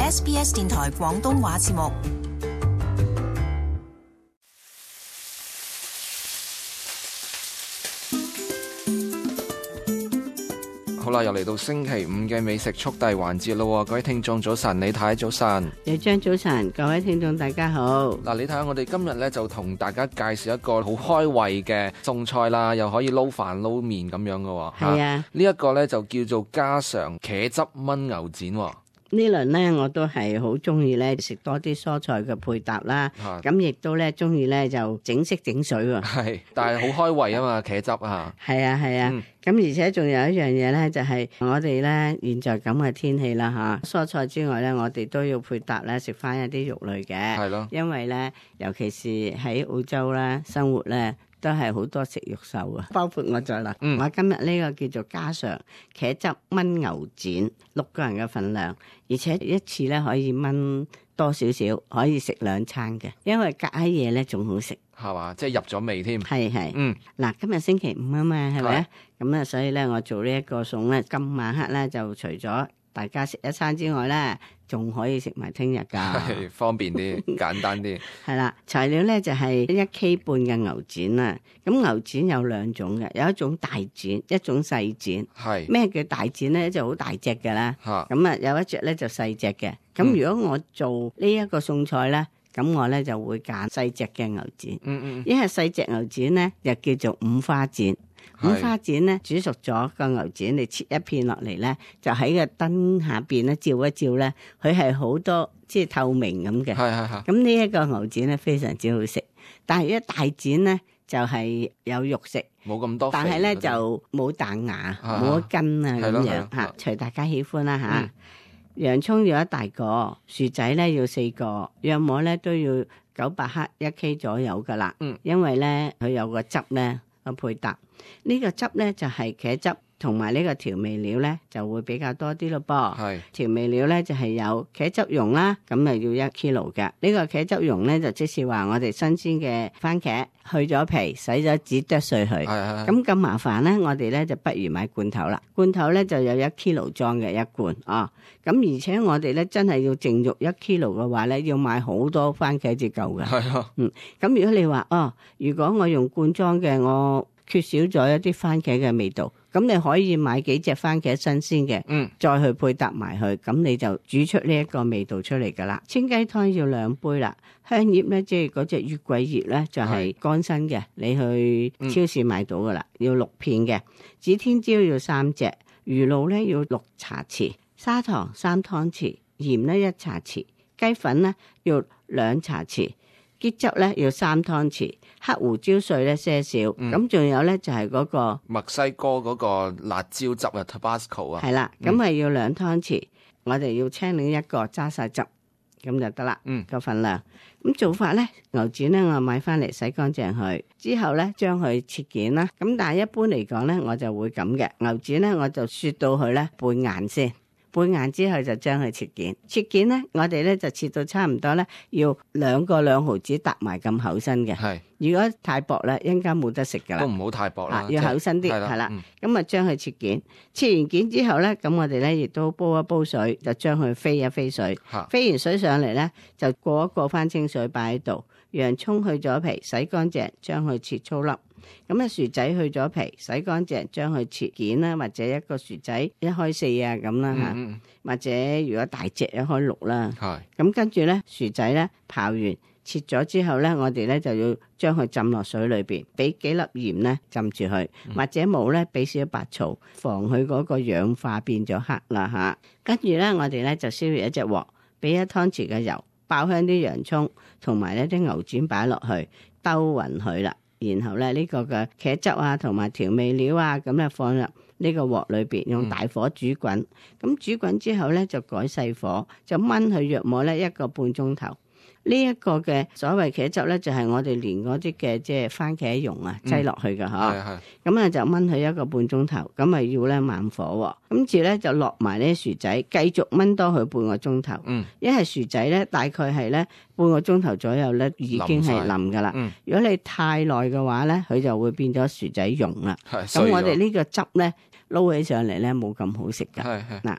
SBS 電台廣東話節目。好啦，又嚟到星期五嘅美食速遞環節咯，各位聽眾早晨，李太早晨，李張早晨，各位聽眾大家好。嗱，你睇下我哋今日咧就同大家介紹一個好開胃嘅餸菜啦，又可以撈飯撈麵咁樣嘅。係啊，呢一個咧就叫做家常茄汁炆牛展。呢輪咧我都係好中意咧食多啲蔬菜嘅配搭啦，咁亦都咧中意咧就整色整水喎。係，但係好開胃啊嘛，茄汁啊。係啊係啊，咁而且仲有一樣嘢咧，就係我哋咧現在咁嘅天氣啦嚇，蔬菜之外咧，我哋都要配搭咧食翻一啲肉類嘅。係咯，因為咧，尤其是喺澳洲咧生活咧，都係好多食肉獸啊，包括我在內。我今日呢個叫做家常茄汁炆牛展，6個人嘅份量，而且一次咧可以炆多少少，可以食2餐嘅，因為隔喺夜咧仲好食，係嘛？即係入咗味添。係。嗱，今日星期五啊嘛，係咪？咁啊，所以咧我做呢一個餸咧，今晚黑咧就除咗大家食一餐之外咧，仲可以食埋聽日噶，方便啲，簡單啲。係啦，材料咧就係1 K 半嘅牛展啦。咁牛展有2種嘅，有一種大展，一種細展。係咩叫大展咧？就好大隻嘅啦。咁啊，有一隻咧就細隻嘅。咁如果我做呢一個餸菜咧，咁我咧就會揀細隻嘅牛展。因為細隻牛展咧又叫做五花展。五花展咧煮熟咗個牛展，你切一片落嚟咧，就喺個燈下邊咧照一照咧，佢係好多即係透明咁嘅。咁呢一個牛展咧非常之好食，但係一大展咧就係有肉食，冇咁多肥，但係咧就冇彈牙，冇得筋啊咁樣嚇，隨大家喜歡啦嚇。洋葱要1大個，薯仔咧要4個，約莫咧都要900克1 K 左右噶啦。因為咧佢有個汁咧個配搭。呢個汁咧就係茄汁同埋呢個調味料咧就會比較多啲咯噃。調味料咧就係有茄汁蓉啦，咁啊要1 kilo 嘅。呢個茄汁蓉咧就即是話我哋新鮮嘅番茄去咗皮，洗咗紙剁碎佢。咁麻煩咧，我哋咧就不如買罐頭啦。罐頭咧就有1 kilo 裝嘅1罐啊。咁而且我哋咧真係要淨肉1 kilo 嘅話咧，要買好多番茄至夠嘅。咁如果你話如果我用罐裝嘅，我缺少咗一啲番茄嘅味道，咁你可以買幾隻番茄新鮮嘅，再去配搭埋去，咁你就煮出呢一個味道出嚟噶啦。清雞湯要2杯啦，香葉咧即係嗰隻月桂葉咧就係乾身嘅，你去超市買到噶啦，要6片嘅。指天椒要3隻，魚露咧要6茶匙，砂糖3湯匙，鹽咧1茶匙，雞粉咧要2茶匙，桔汁咧要3湯匙，黑胡椒碎咧些少，咁仲有咧就係嗰個墨西哥嗰個辣椒汁啊 ，Tabasco 啊，係啦，咁係要2湯匙，我哋要青檸1個，揸晒汁，咁就得啦。個份量，咁做法咧，牛展咧我買翻嚟洗乾淨佢，之後咧將佢切件啦。咁但係一般嚟講咧，我就會咁嘅，牛展咧我就雪到佢咧半硬先。半硬之後就將佢切件，切件咧我哋咧就切到差唔多咧，要2個2毫子搭埋咁厚身嘅。如果太薄咧，一陣間冇得食噶啦。都唔好太薄啦，要厚身啲，係啦。咁啊將佢切件，切完件之後咧，咁我哋咧亦都煲一煲水，就將佢飛一飛水，飛完水上嚟咧，就過一過翻清水擺喺度。洋葱去咗皮，洗乾淨，將佢切粗粒。咁啊薯仔去咗皮，洗乾淨，將佢切件啦，或者一個薯仔1開4啊咁啦吓，或者如果大隻1開6啦。咁跟住咧薯仔咧刨完切咗之後咧，我哋咧就要將佢浸落水裏邊，俾幾粒鹽咧浸住佢，或者冇咧俾少白醋，防佢嗰個氧化變咗黑啦吓。跟住咧我哋咧就燒熱一隻鑊，俾1湯匙嘅油，爆香啲洋葱同埋呢啲牛展擺落去，兜勻佢啦。然後咧呢個嘅茄汁啊同埋調味料啊咁咧放入呢個鑊裏邊，用大火煮滾。咁煮滾之後咧就改細火，就炆佢約莫咧1個半鐘頭。呢一個嘅所謂茄汁咧，就係我哋連嗰啲嘅即係番茄蓉啊擠落去嘅嗬。咁啊就炆佢1個半鐘頭，咁啊要咧慢火。咁住咧就落埋呢啲薯仔，繼續炆多佢半個鐘頭。因為薯仔咧大概係咧半個鐘頭左右咧已經係腍噶啦。如果你太耐嘅話咧，佢就會變咗薯仔蓉啦。咁我哋呢個汁咧撈起上嚟咧冇咁好食噶。嗱。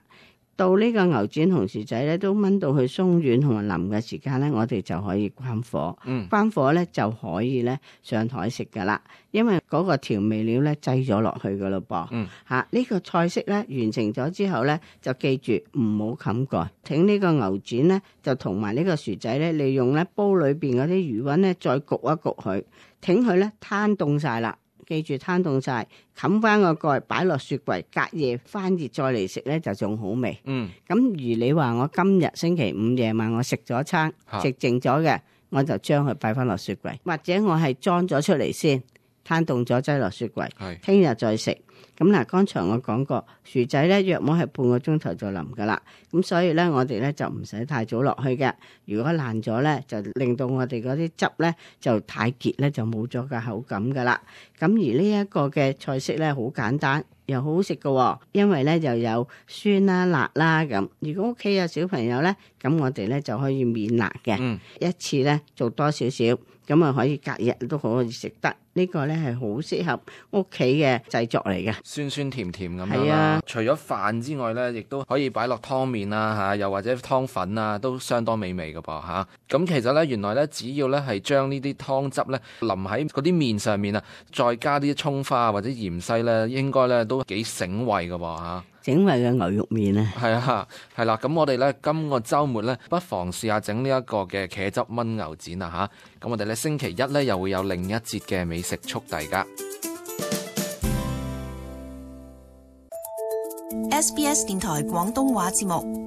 到呢個牛展同薯仔咧都炆到佢鬆軟同埋腍嘅時間咧，我哋就可以關火。關火咧就可以咧上台食噶啦，因為嗰個調味料咧擠咗落去噶咯噃。呢個菜式咧完成咗之後咧，就記住唔好冚蓋。挺呢個牛展咧，就同埋呢個薯仔咧，利用咧煲裏邊嗰啲餘溫咧，再焗一焗佢，挺佢咧攤凍晒啦。記住攤凍晒，冚翻個蓋，擺落雪櫃，隔夜翻熱再嚟食咧就仲好味。咁如你話我今日星期五夜晚我食咗餐食剩咗嘅，我就將佢擺翻落雪櫃，或者我係裝咗出嚟先，攤凍咗擠落雪櫃，聽日再食。咁嗱，剛才我講過薯仔咧，約莫係半個鐘頭就腍噶啦。咁所以咧，我哋咧就唔使太早落去嘅。如果爛咗咧，就令到我哋嗰啲汁咧就太結咧，就冇咗個口感噶啦。咁而呢一個嘅菜式咧，好簡單又好好食噶，因為咧就有酸啦、辣啦咁。如果屋企有小朋友咧，咁我哋咧就可以免辣嘅。一次咧做多少少，咁啊可以隔日都可以食得。呢個咧係好適合屋企嘅製作嚟嘅，酸酸甜甜咁樣啦。除咗飯之外咧，亦都可以擺落湯麵啦嚇，又或者湯粉啊，都相當美味嘅噃嚇。咁其實咧，原來咧，只要咧係將呢啲湯汁咧淋喺嗰啲麵上面啊，再加啲葱花或者芫茜咧，應該咧都幾醒胃嘅噃嚇。整胃嘅牛肉麵啊，係啊，係啦，咁我哋咧今個週末咧，不妨試下整呢一個嘅茄汁炆牛展啊嚇！咁我哋咧星期一咧又會有另一節嘅美食速遞㗎。SBS 電台廣東話節目。